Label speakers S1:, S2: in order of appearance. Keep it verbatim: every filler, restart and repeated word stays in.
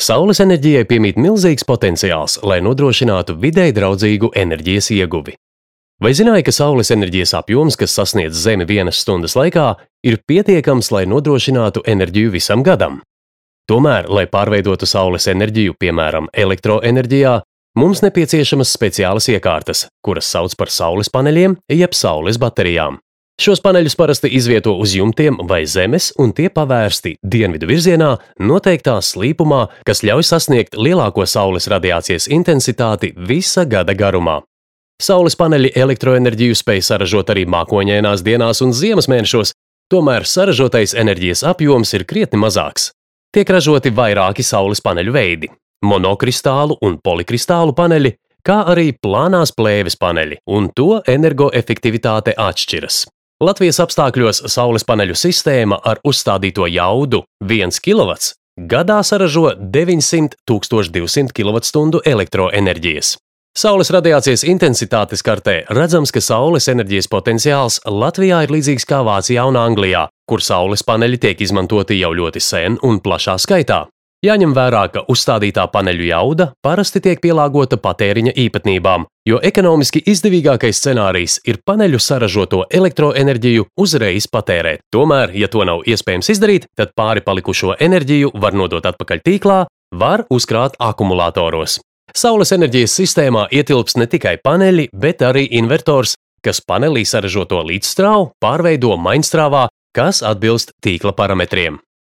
S1: Saules enerģijai piemīt milzīgs potenciāls, lai nodrošinātu videi draudzīgu enerģijas ieguvi. Vai zināji, ka saules enerģijas apjoms, kas sasniedz Zemi vienas stundas laikā, ir pietiekams, lai nodrošinātu enerģiju visam gadam? Tomēr, lai pārveidotu saules enerģiju, piemēram, elektroenerģijā, mums nepieciešamas speciālas iekārtas, kuras sauc par saules paneļiem jeb saules baterijām. Šos paneļus parasti izvieto uz jumtiem vai zemes, un tie pavērsti dienvidu virzienā noteiktā slīpumā, kas ļauj sasniegt lielāko saules radiācijas intensitāti visa gada garumā. Saules paneļi elektroenerģiju spēj saražot arī mākoņainās dienās un ziemas mēnešos, tomēr saražotais enerģijas apjoms ir krietni mazāks. Tiek ražoti vairāki saules paneļu veidi – monokristālu un polikristālu paneļi, kā arī plānās plēves paneļi, un to energoefektivitāte atšķiras. Latvijas apstākļos saules paneļu sistēma ar uzstādīto jaudu viens kilovatts gadā saražo deviņsimt tūkstoši divsimt kilovatstundu elektroenerģijas. Saules radiācijas intensitātes kartē redzams, ka saules enerģijas potenciāls Latvijā ir līdzīgs kā Vācijā un Anglijā, kur saules paneļi tiek izmantoti jau ļoti sen un plašā skaitā. Jāņem vērā, ka uzstādītā paneļu jauda parasti tiek pielāgota patēriņa īpatnībām, jo ekonomiski izdevīgākais scenārijs ir paneļu saražoto elektroenerģiju uzreiz patērēt. Tomēr, ja to nav iespējams izdarīt, tad pāri palikušo enerģiju var nodot atpakaļ tīklā, var uzkrāt akumulātoros. Saules enerģijas sistēmā ietilps ne tikai paneļi, bet arī invertors, kas panelī saražoto līdzstrāvu pārveido mainstrāvā, kas atbilst tīkla parametriem.